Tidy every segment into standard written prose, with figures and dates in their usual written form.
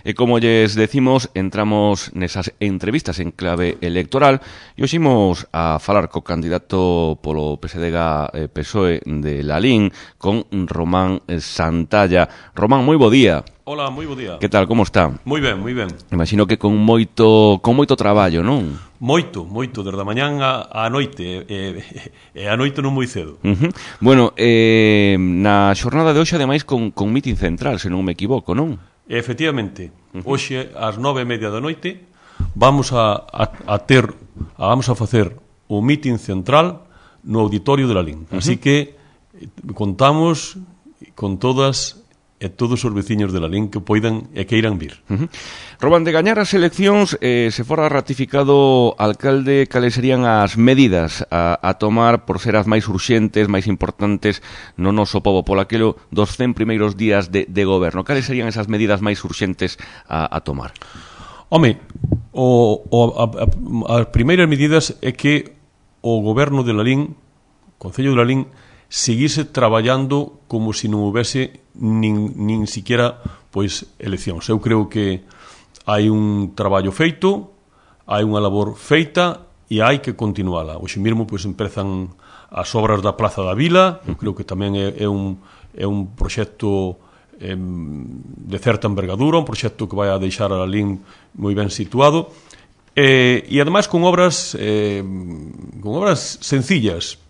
E como lles decimos, entramos nesas entrevistas en clave electoral e hoxe imos a falar co candidato polo PSDG-PSOE de Lalín con Román Santalla. Román, moi bo día. Hola, moi bo día. Que tal, como está? Moi ben, moi ben. Imagino que con moito traballo, non? Moito, desde a mañán á noite, e a noite non moi cedo. Bueno, na xornada de hoxe, ademais, con mitin central, se non me equivoco, non? Efectivamente, hoxe, ás 9:30 da noite, vamos a facer o mitin central no auditorio de Lalín. Así que contamos con todas e todos os veciños de Lalín que poidan e queiran vir. Román, de gañar as eleccións, se fora ratificado alcalde, cales serían as medidas a tomar por ser as máis urxentes, máis importantes no noso pobo, polo aquelo dos 100 primeiros días de goberno? Cales serían esas medidas máis urxentes a tomar? Home, as primeiras medidas é que o goberno de Lalín, o Concello de Lalín, seguise traballando como se non houvese nin siquiera pois eleccións. Eu creo que hai un traballo feito, hai unha labor feita e hai que continuala. Hoxe mesmo pois empezan as obras da Plaza da Vila. Eu creo que tamén é un proxecto de certa envergadura, un proxecto que vai a deixar a Lalín moi ben situado, e ademais con obras sencillas,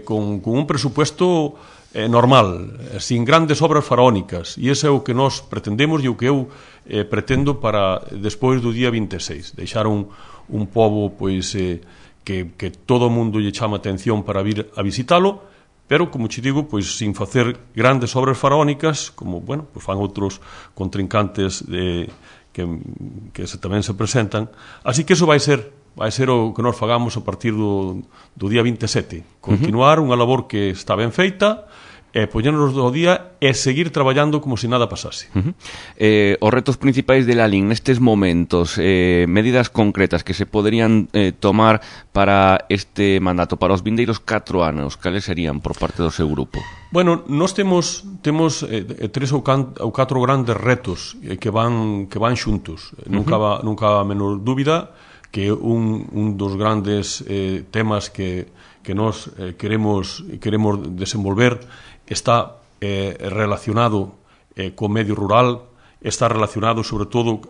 con un presupuesto normal, sin grandes obras faraónicas, e ese é o que nós pretendemos e o que eu pretendo para despois do día 26, deixar un pobo pois que todo o mundo lle chama atención para vir a visitalo, pero, como che digo, pois sin facer grandes obras faraónicas, como, bueno, pois fan outros contrincantes que tamén se presentan. Así que eso vai ser o que nós fagamos a partir do día 27. Continuar unha labor que está ben feita, poñernos do día e seguir traballando como se nada pasase. Os retos principais de Lalín nestes momentos, medidas concretas que se poderían tomar para este mandato, para os vindeiros 4 anos, cales serían por parte do seu grupo? Bueno, nós temos 3 ou 4 grandes retos que van xuntos. Nunca a menor dúbida que un dos grandes temas que nós queremos desenvolver está relacionado co medio rural, está relacionado sobre todo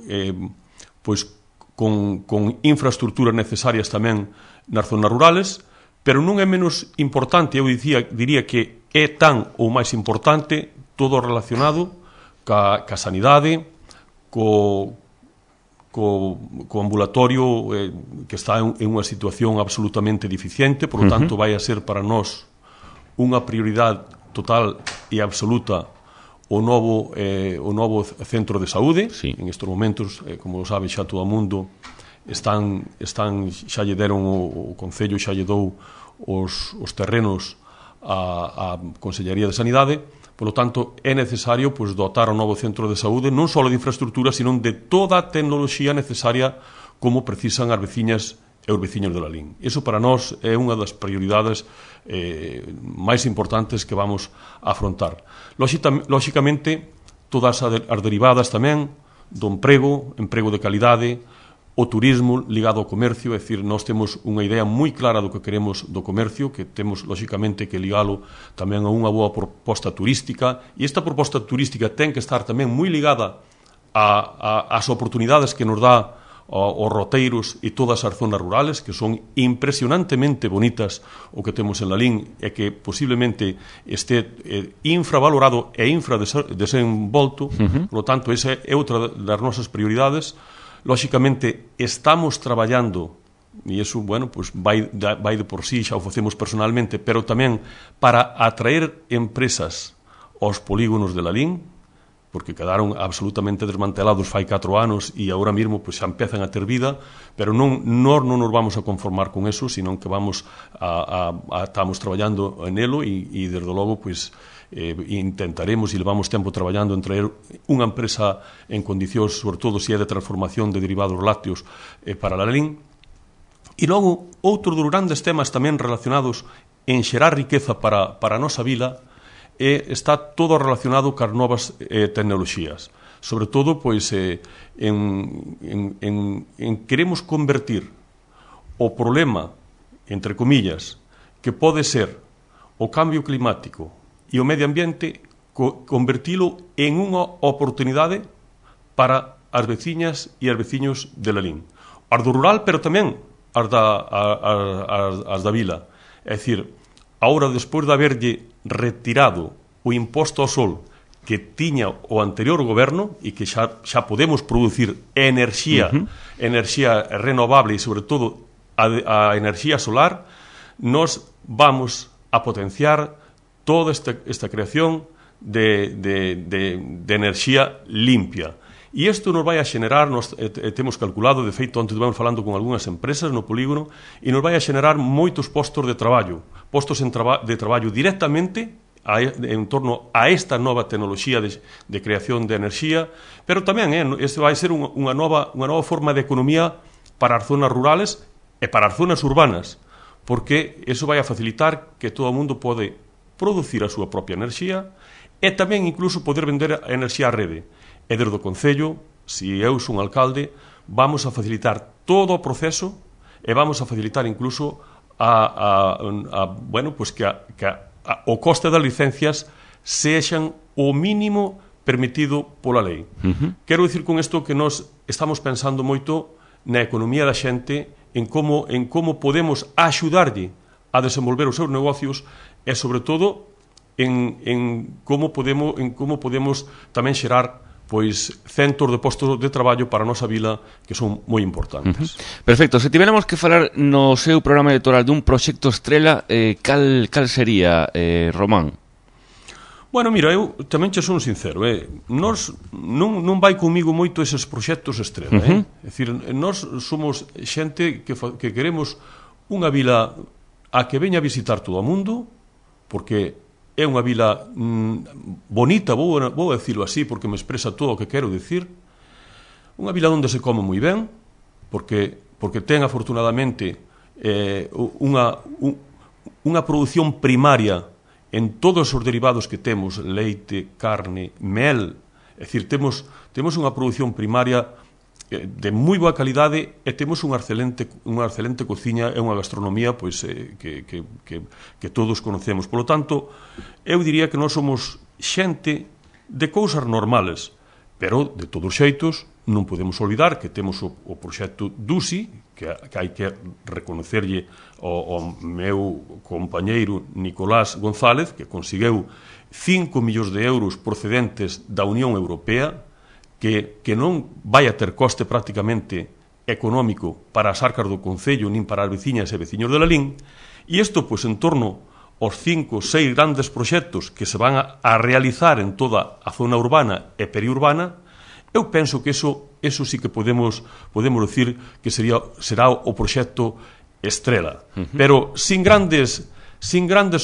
pois con infraestructuras necesarias tamén nas zonas rurales, pero non é menos importante, eu diría que é tan ou máis importante todo relacionado ca sanidade, co ambulatorio que está en unha situación absolutamente deficiente, por lo tanto vai a ser para nós unha prioridade total e absoluta o novo centro de saúde. Sí. En estes momentos, como sabe xa todo o mundo, xa lle deron o Concello, xa lle dou os terrenos á Consellería de Sanidade. Por lo tanto, é necesario pois, dotar o novo centro de saúde non só de infraestructura, sino de toda a tecnoloxía necesaria como precisan as veciñas e os veciños de Lalín. Iso para nós é unha das prioridades máis importantes que vamos a afrontar. Lóxicamente, todas as derivadas tamén do emprego de calidade, o turismo ligado ao comercio, é dicir, nós temos unha idea moi clara do que queremos do comercio, que temos, lóxicamente, que ligalo tamén a unha boa proposta turística, e esta proposta turística ten que estar tamén moi ligada ás oportunidades que nos dá os roteiros e todas as zonas rurales, que son impresionantemente bonitas o que temos en Lalín, e que posiblemente este infravalorado e infradesenvolto. Por lo tanto, esa é outra das nosas prioridades. Lóxicamente, estamos traballando, e iso, bueno, pues vai de por sí, xa o facemos personalmente, pero tamén para atraer empresas aos polígonos de Lalín, porque quedaron absolutamente desmantelados fai 4 anos e agora mesmo pues, xa empezan a ter vida, pero nós non nos vamos a conformar con eso, sino que estamos traballando en elo e desde logo, pues, intentaremos e levamos tempo traballando en traer unha empresa en condicións, sobre todo se é de transformación de derivados lácteos para Lalín. E logo, outro dos grandes temas tamén relacionados en xerar riqueza para a nosa vila está todo relacionado cas novas tecnoloxías. sobre todo, pois, queremos convertir o problema, entre comillas, que pode ser o cambio climático e o medio ambiente, convertilo en unha oportunidade para as veciñas e as veciños de Lalín. As do rural, pero tamén as da vila. É dicir, agora, despois de haberlle retirado o imposto ao sol que tiña o anterior goberno e que xa podemos producir enerxía renovable e, sobre todo, a enerxía solar, nos vamos a potenciar toda esta creación de enerxía limpia. E isto nos vai a xenerar, temos calculado, de feito, antes vamos falando con algunhas empresas no polígono, e nos vai a xenerar moitos postos de traballo directamente en torno a esta nova tecnoloxía de creación de enerxía, pero tamén este vai ser unha nova forma de economía para as zonas rurales e para as zonas urbanas, porque iso vai a facilitar que todo o mundo pode producir a súa propia enerxía e tamén incluso poder vender a enerxía á rede. E desde o Concello, se eu son alcalde, vamos a facilitar todo o proceso e vamos a facilitar incluso que o coste das licencias sexan o mínimo permitido pola lei. Quero dicir con isto que nós estamos pensando moito na economía da xente, en como podemos axudarlle a desenvolver os seus negocios e, sobre todo, en como podemos tamén xerar centos de postos de traballo para a nosa vila que son moi importantes. Perfecto. Se tiveramos que falar no seu programa electoral dun proxecto estrela, cal sería, Román? Bueno, mira, eu tamén che son sincero, non vai comigo moito eses proxectos estrela, É dicir, nós somos xente que queremos unha vila a que veña a visitar todo o mundo, porque é unha vila bonita, vou a decirlo así, porque me expresa todo o que quero dicir. Unha vila onde se come moi ben, porque ten, afortunadamente, unha produción primaria en todos os derivados que temos, leite, carne, mel. É dicir, temos unha produción primaria de moi boa calidade e temos unha excelente cociña e unha gastronomía que todos conocemos. Polo tanto, eu diría que nós somos xente de cousas normales, pero, de todos os xeitos, non podemos olvidar que temos o proxecto DUSI, que hai que reconocerlle ao meu compañeiro Nicolás González, que conseguiu 5 millóns de euros procedentes da Unión Europea, que non vai a ter coste prácticamente económico para as arcas do Concello nin para as veciñas e veciños de Lalín, e isto, en torno aos 5 ou 6 grandes proxectos que se van a realizar en toda a zona urbana e periurbana, eu penso que eso sí que podemos decir que será o proxecto estrela. Pero sin grandes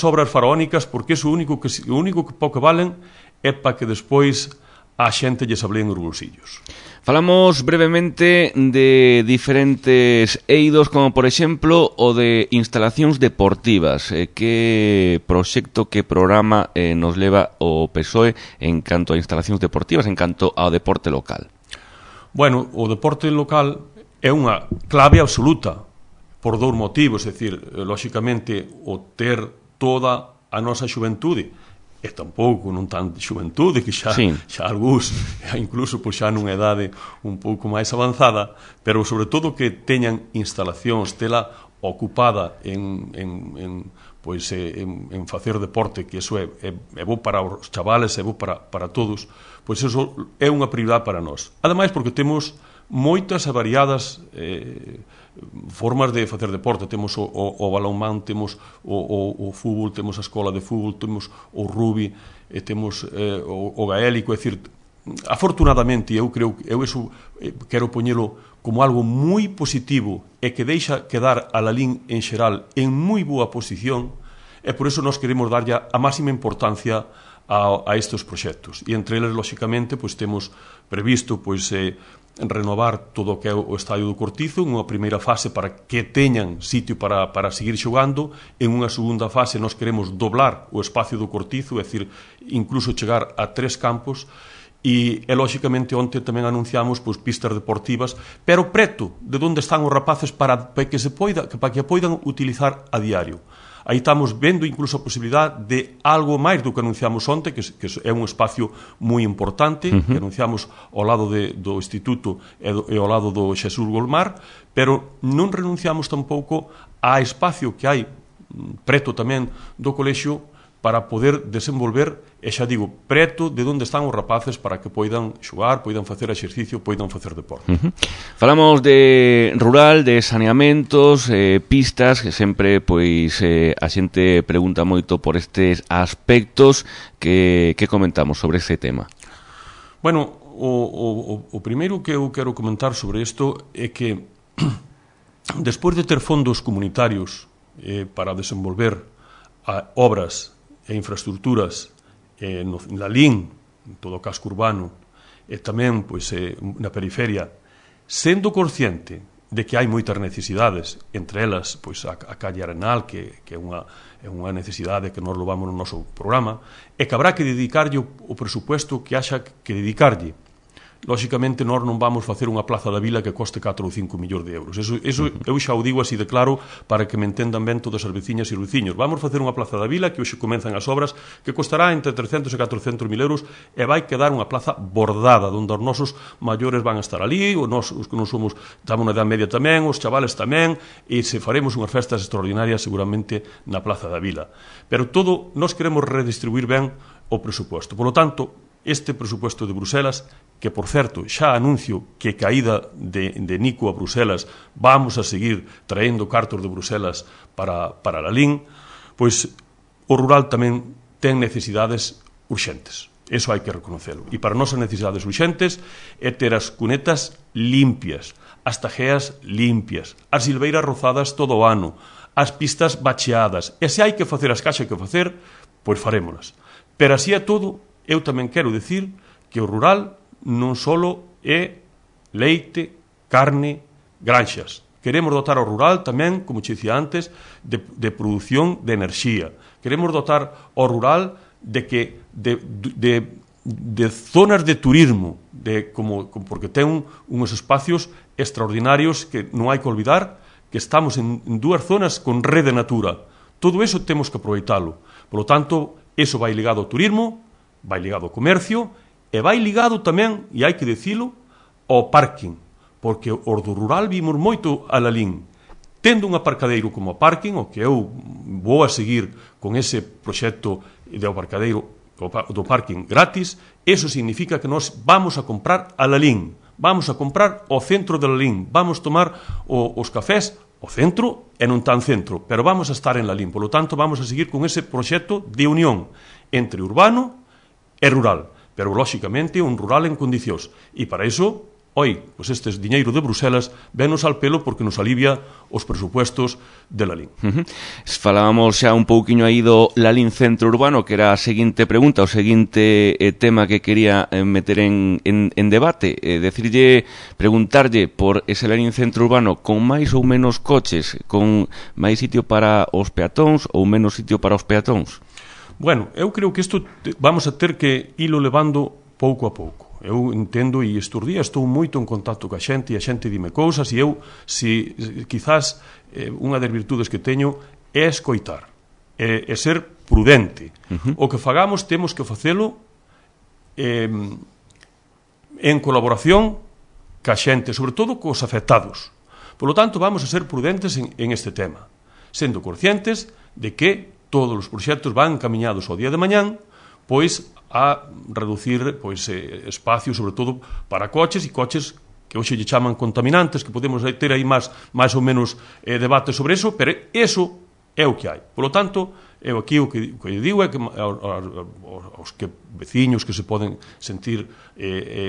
obras faraónicas, porque o único que pouco valen é para que despois a xente lles ablen os bolsillos. Falamos brevemente de diferentes eidos, como por exemplo o de instalacións deportivas. Que proxecto, que programa nos leva o PSOE en canto a instalacións deportivas, en canto ao deporte local? Bueno, o deporte local é unha clave absoluta por dous motivos, é dicir, lóxicamente, o ter toda a nosa xuventude, e tampouco non tan de xuventude, que xa algúns, incluso xa nunha idade un pouco máis avanzada, pero sobre todo que teñan instalacións, tela ocupada en facer deporte, que iso é bo para os chavales, é bo para todos, pois iso é unha prioridade para nós. Ademais, porque temos moitas e variadas formas de facer deporte. Temos o balonmán, temos o fútbol, temos a escola de fútbol, temos o rugby, temos o gaélico. É dicir, afortunadamente, eu quero poñelo como algo moi positivo e que deixa quedar a Lalín en xeral en moi boa posición, e por iso nós queremos darlle a máxima importancia a estes proxectos. E entre eles, lóxicamente, temos previsto renovar todo o que é o Estadio do Cortizo en unha primeira fase para que teñan sitio para seguir xogando. En unha segunda fase nós queremos doblar o espacio do Cortizo, é dicir, incluso chegar a 3 campos, e lóxicamente onte tamén anunciamos pois, pistas deportivas, pero preto de onde están os rapaces para que a poidan utilizar a diario. Aí estamos vendo incluso a posibilidade de algo máis do que anunciamos onte, que é un espacio moi importante, que anunciamos ao lado do Instituto e ao lado do Xesús Golmar, pero non renunciamos tampouco a espacio que hai preto tamén do colexio para poder desenvolver, e xa digo, preto de onde están os rapaces para que poidan xogar, poidan facer exercicio, poidan facer deporte. Falamos de rural, de saneamentos, pistas, que sempre pois a xente pregunta moito por estes aspectos. Que comentamos sobre ese tema? Bueno, o primeiro que eu quero comentar sobre isto é que despois de ter fondos comunitarios para desenvolver obras e infraestructuras na LIN, en todo o casco urbano, e tamén pois, na periferia, sendo consciente de que hai moitas necesidades, entre elas pois, a calle Arenal, que é unha necesidade que nós levamos no noso programa, e que habrá que dedicarlle o presupuesto que haxa que dedicarlle. Lóxicamente, nós non vamos facer unha plaza da vila que coste 4 ou 5 millóns de euros. Eso eu xa o digo así de claro para que me entendan ben todas as veciñas e veciños. Vamos facer unha plaza da vila que hoxe comenzan as obras que costará entre 300 e 400 mil euros e vai quedar unha plaza bordada onde os nosos maiores van a estar ali, os que non somos, estamos na edad media tamén, os chavales tamén, e se faremos unhas festas extraordinarias seguramente na plaza da vila. Pero todo, nós queremos redistribuir ben o presuposto. Por lo tanto, este presuposto de Bruselas, que, por certo, xa anuncio que caída de Nico a Bruselas vamos a seguir traendo cartos de Bruselas para a LIN, pois o rural tamén ten necesidades urxentes. Eso hai que reconocelo. E para nosas necesidades urxentes é ter as cunetas limpias, as tajeas limpias, as silveiras rozadas todo o ano, as pistas bacheadas. E se hai que facer as que hai que facer, pois farémolas. Pero así é todo, eu tamén quero dicir que o rural non só é leite, carne, granxas. Queremos dotar ao rural tamén, como che dicía antes, de produción de enerxía. Queremos dotar ao rural de zonas de turismo, porque ten uns espacios extraordinarios que non hai que olvidar, que estamos en dúas zonas con rede natura. Todo eso temos que aproveitalo. Por lo tanto, eso vai ligado ao turismo, vai ligado ao comercio e vai ligado tamén, e hai que dicilo, ao parking, porque os do rural vimos moito a Lalín. Tendo un aparcadeiro como parking, o que eu vou a seguir con ese proxecto de aparcadeiro do parking gratis, eso significa que nós vamos a comprar a Lalín, vamos a comprar o centro de Lalín, vamos tomar os cafés o centro e non tan centro, pero vamos a estar en Lalín. Por lo tanto, vamos a seguir con ese proxecto de unión entre urbano e rural, pero lóxicamente un rural en condicións, e para iso, pois estes diñeiro de Bruselas venos al pelo porque nos alivia os presupuestos de Lalín. Falábamos xa un pouquiño aí do Lalín Centro Urbano, que era a seguinte pregunta, o seguinte tema que quería meter en debate, preguntarlle por ese Lalín Centro Urbano con máis ou menos coches, con máis sitio para os peatóns ou menos sitio para os peatóns. Bueno, eu creo que isto vamos a ter que ilo levando pouco a pouco. Eu entendo e estes días estou moito en contacto coa xente e a xente dime cousas e eu, quizás, unha das virtudes que teño é escoitar, é ser prudente. O que fagamos temos que facelo en colaboración ca xente, sobre todo cos afectados. Por lo tanto, vamos a ser prudentes en este tema, sendo conscientes de que todos os proxectos van encaminhados ao día de mañán, pois a reducir espacio, sobre todo para coches, e coches que hoxe lle chaman contaminantes, que podemos ter aí máis ou menos debate sobre eso, pero eso é o que hai. Por lo tanto, eu aquí o que digo é que aos veciños que se poden sentir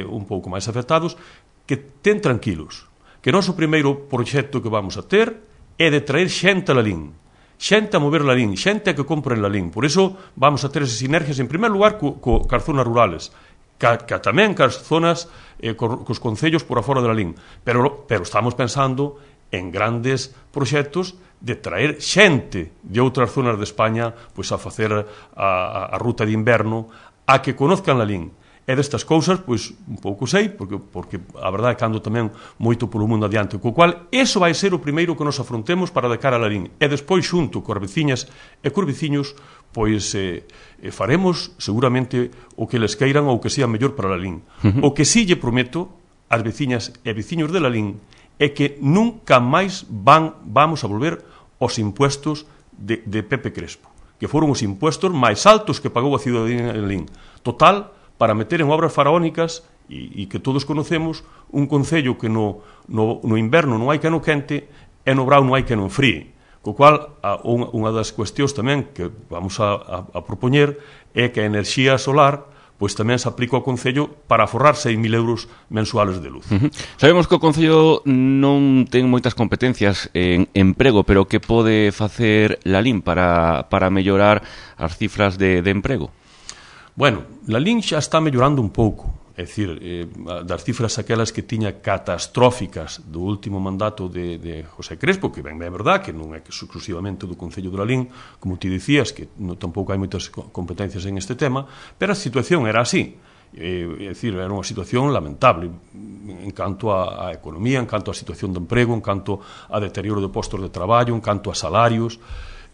un pouco máis afectados, que ten tranquilos, que o noso primeiro proxecto que vamos a ter é de traer xente a Lalín, xente a mover Lalín, xente que compra en Lalín. Por iso vamos a ter esas sinergias, en primer lugar, cas zonas rurales, tamén cas zonas, cos concellos por afora de Lalín. Pero estamos pensando en grandes proxectos de traer xente de outras zonas de España pois a facer a ruta de inverno, a que conozcan Lalín. E destas cousas, pois, un pouco sei, porque a verdade é que ando tamén moito polo mundo adiante, co cual, eso vai ser o primeiro que nos afrontemos para de cara a Lalín. E despois, xunto coas veciñas e cos veciños, pois faremos seguramente o que les queiran ou o que sea mellor para Lalín. O que sí lle prometo ás veciñas e veciños de Lalín é que nunca máis vamos a volver aos impuestos de Pepe Crespo, que foron os impuestos máis altos que pagou a ciudadanía de Lalín. Total, para meter en obras faraónicas, e que todos conocemos, un concello que no inverno non hai que no quente e no brao non hai que no fríe. Co cual, unha das cuestións tamén que vamos a propoñer é que a enerxía solar pois tamén se aplica ao Concello para aforrar 6.000 euros mensuales de luz. Sabemos que o Concello non ten moitas competencias en emprego, pero que pode facer Lalín para mellorar as cifras de emprego? Bueno, Lalín xa está mellorando un pouco, é dicir, das cifras aquelas que tiña catastróficas do último mandato de José Crespo, que ben é verdad que non é exclusivamente do Concello de Lalín, como ti dicías, que tampouco hai moitas competencias en este tema, pero a situación era así. É dicir, era unha situación lamentable en canto á economía, en canto á situación de emprego, en canto a deterioro de postos de traballo, en canto a salarios.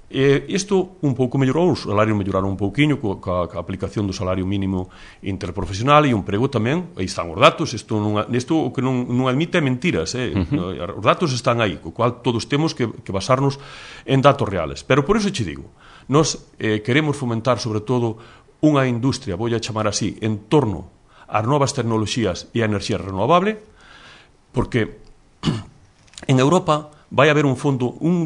Isto un pouco mellorou, os salarios melloraron un pouquiño coa aplicación do salario mínimo interprofesional e o emprego tamén, aí están os datos, isto o que non admite é mentiras, os datos están aí, co cual todos temos que basarnos en datos reales. Pero por iso che digo, nós queremos fomentar sobre todo unha industria, vou a chamar así, en torno ás novas tecnoloxías e a enerxía renovable, porque en Europa vai haber un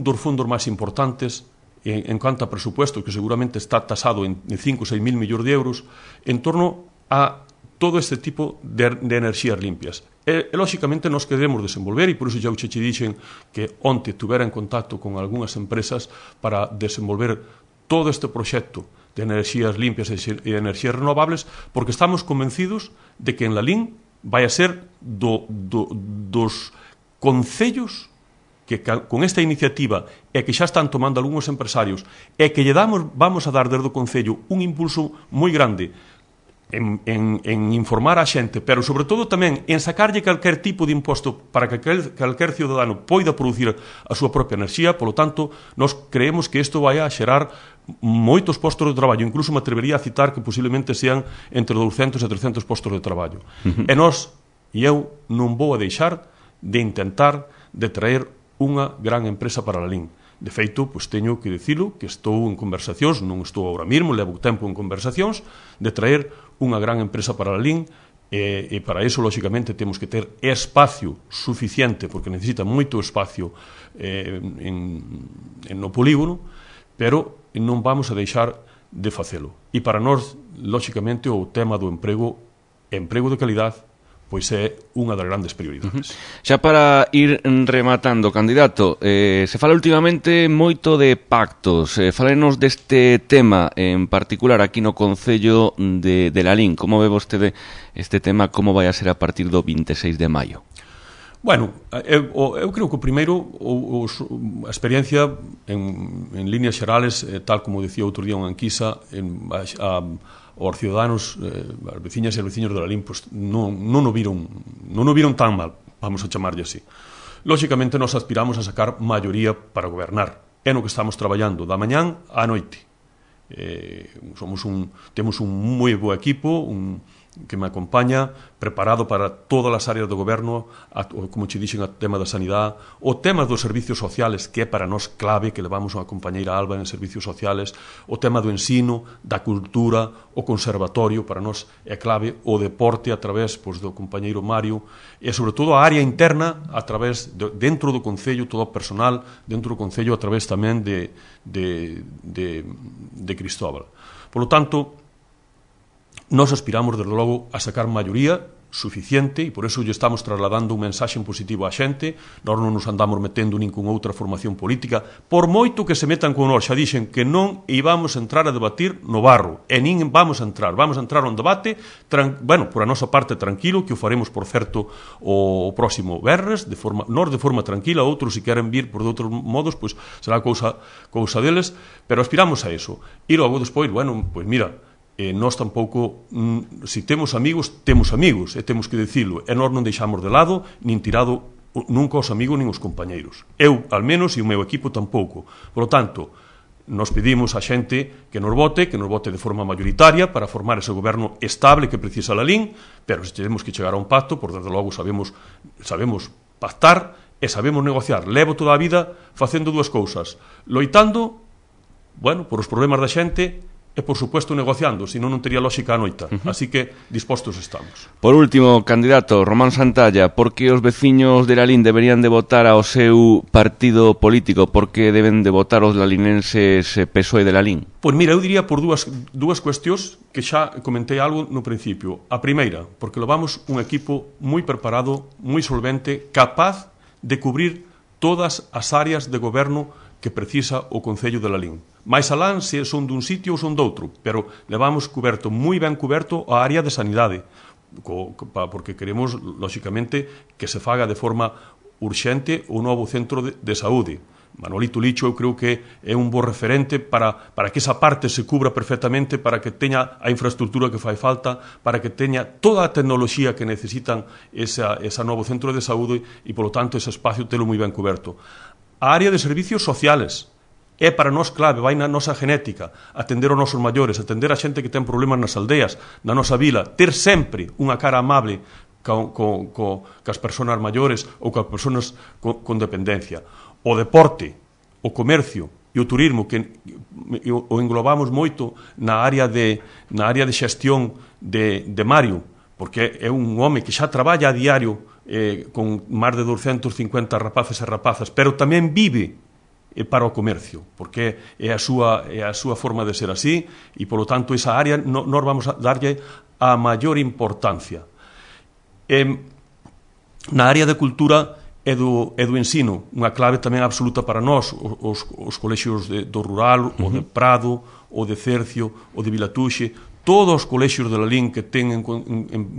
dos fondos máis importantes en canto a presupuesto, que seguramente está tasado en 5 ou 6 mil millóns de euros, en torno a todo este tipo de enerxías limpias. E, lóxicamente, nos queremos desenvolver, e por iso xa che dixen que onte tuvera en contacto con algunhas empresas para desenvolver todo este proxecto de enerxías limpias e enerxías renovables, porque estamos convencidos de que en Lalín vai a ser dos concellos que con esta iniciativa e que xa están tomando algúns empresarios e que vamos a dar desde o Concello un impulso moi grande en informar a xente, pero sobre todo tamén en sacarlle calquer tipo de imposto para que calquer ciudadano poida producir a súa propia enerxía. Polo tanto, nós creemos que isto vai a xerar moitos postos de traballo, incluso me atrevería a citar que posiblemente sean entre 200 e 300 postos de traballo. E nós, e eu, non vou a deixar de intentar de traer unha gran empresa para Lalín. De feito, pois teño que dicilo, que estou en conversacións, non estou agora mesmo, levo tempo en conversacións, de traer unha gran empresa para Lalín, e para iso, lóxicamente, temos que ter espacio suficiente, porque necesita moito espacio no polígono, pero non vamos a deixar de facelo. E para nós, lóxicamente, o tema do emprego de calidad, pois é unha das grandes prioridades. Xa para ir rematando, candidato, se fala últimamente moito de pactos. Fálenos deste tema en particular aquí no Concello de Lalín. Como ve vostede este tema, como vai a ser a partir do 26 de maio? Bueno, eu creo que o primeiro, a experiencia en líneas xerales, tal como dicía outro día unha enquisa, os ciudadanos, as veciñas e os veciños de Lalín, pues, non o viron tan mal, vamos a chamarlle así. Lóxicamente, nos aspiramos a sacar maioría para gobernar. É no que estamos traballando da mañán á noite. Temos un moi bo equipo, que me acompaña, preparado para todas as áreas do goberno, como che dixen, o tema da sanidade, o tema dos servicios sociales, que é para nós clave, que levamos a compañeira Alba en servicios sociales, o tema do ensino, da cultura, o conservatorio, para nós é clave, o deporte a través do compañeiro Mario, e sobre todo a área interna a través, dentro do Concello, todo o personal dentro do Concello, a través tamén de Cristóbal. Por lo tanto, nós aspiramos, desde logo, a sacar maioría suficiente, e por eso lle estamos trasladando un mensaxe positivo á xente. Nós non nos andamos metendo nin con outra formación política, por moito que se metan con nós. Xa dixen que non íbamos a entrar a debatir no barro, e nin vamos a entrar a un debate, por a nosa parte tranquilo, que o faremos, por certo, o próximo venres, nós de forma tranquila, outros, se queren vir por de outros modos, será cousa deles, pero aspiramos a eso. E logo, despois, pois mira, nós tampouco, se temos amigos, e temos que dicilo, e nós non deixamos de lado, nin tirado nunca os amigos nin os compañeiros. Eu, al menos, e o meu equipo tampouco. Por lo tanto, nos pedimos a xente que nos vote de forma mayoritaria para formar ese goberno estable que precisa Lalín, pero se temos que chegar a un pacto, por desde logo sabemos pactar e sabemos negociar. Levo toda a vida facendo dúas cousas, loitando, por os problemas da xente, e, por suposto, negociando, senón non tería lógica a noita. Así que dispostos estamos. Por último, candidato, Román Santalla, por que os veciños de Lalín deberían de votar ao seu partido político? Por que deben de votar os lalinenses PSOE de Lalín? Pois mira, eu diría por dúas cuestións que xa comentei algo no principio. A primeira, porque levamos un equipo moi preparado, moi solvente, capaz de cubrir todas as áreas de goberno que precisa o Concello de Lalín. Mais alán se son dun sitio ou son doutro, pero levamos coberto, moi ben coberto, a área de sanidade, porque queremos, lóxicamente, que se faga de forma urxente o novo centro de saúde. Manolito Licho eu creo que é un bo referente para que esa parte se cubra perfectamente, para que teña a infraestructura que fai falta, para que teña toda a tecnoloxía que necesitan esa novo centro de saúde e, polo tanto, ese espacio telo moi ben coberto. A área de servicios sociales é para nós clave, vai na nosa genética, atender aos nosos maiores, atender a xente que ten problemas nas aldeas, na nosa vila, ter sempre unha cara amable cas persoas maiores ou cas persoas con dependencia. O deporte, o comercio e o turismo, que o englobamos moito na área de xestión de Mario, porque é un home que xa traballa a diario con máis de 250 rapaces e rapazas, pero tamén vive para o comercio, porque é a súa forma de ser así, e, polo tanto, esa área nós vamos a darlle a maior importancia. Na área de cultura e do ensino, unha clave tamén absoluta para nós, os colexios do rural, o de Prado, o de Cercio, o de Vilatuxe, todos os colexios de Lalín que ten en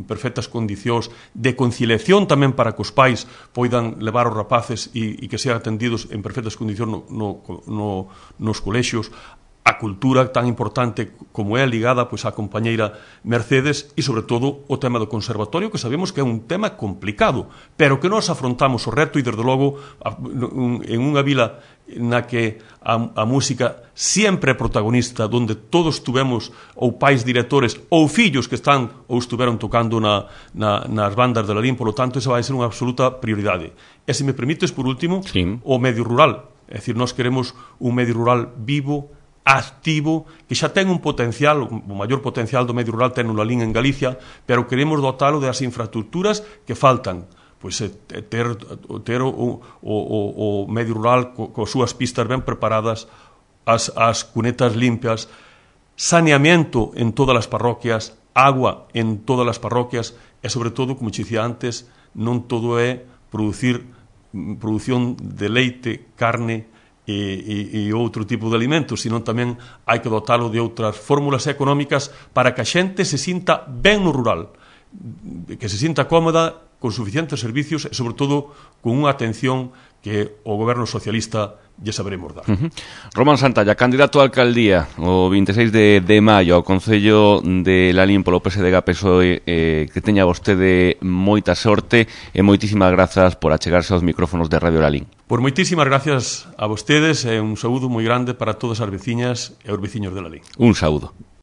perfectas condicións de conciliación tamén para que os pais poidan levar os rapaces e que sean atendidos en perfectas condicións nos colexios. A cultura tan importante como é ligada á compañeira Mercedes e, sobre todo, o tema do conservatorio, que sabemos que é un tema complicado, pero que nós afrontamos o reto e, desde logo, en unha vila na que a música sempre é protagonista, onde todos tuvemos ou pais directores ou fillos que están ou estuveron tocando nas bandas de Lalín, polo tanto, esa vai ser unha absoluta prioridade. E, se me permites, por último, o medio rural. É dicir, nós queremos un medio rural vivo, activo, que xa ten un potencial, o maior potencial do medio rural ten o Lalín en Galicia, pero queremos dotalo das infraestructuras que faltan, pois ter o medio rural coas súas pistas ben preparadas, as cunetas limpias, saneamento en todas as parroquias, agua en todas as parroquias e, sobre todo, como dicía antes, non todo é produción de leite, carne e outro tipo de alimentos, senón tamén hai que dotalo de outras fórmulas económicas para que a xente se sinta ben no rural, que se sinta cómoda, con suficientes servicios e, sobre todo, con unha atención que o goberno socialista lle saberemos dar. Román Santalla, candidato a alcaldía o 26 de maio ao Concello de Lalín polo PSDG-PSOE, que teña vostede moita sorte e moitísimas grazas por achegarse aos micrófonos de Radio Lalín. Pois moitísimas gracias a vostedes e un saúdo moi grande para todas as veciñas e os veciños de Lalín. Un saúdo.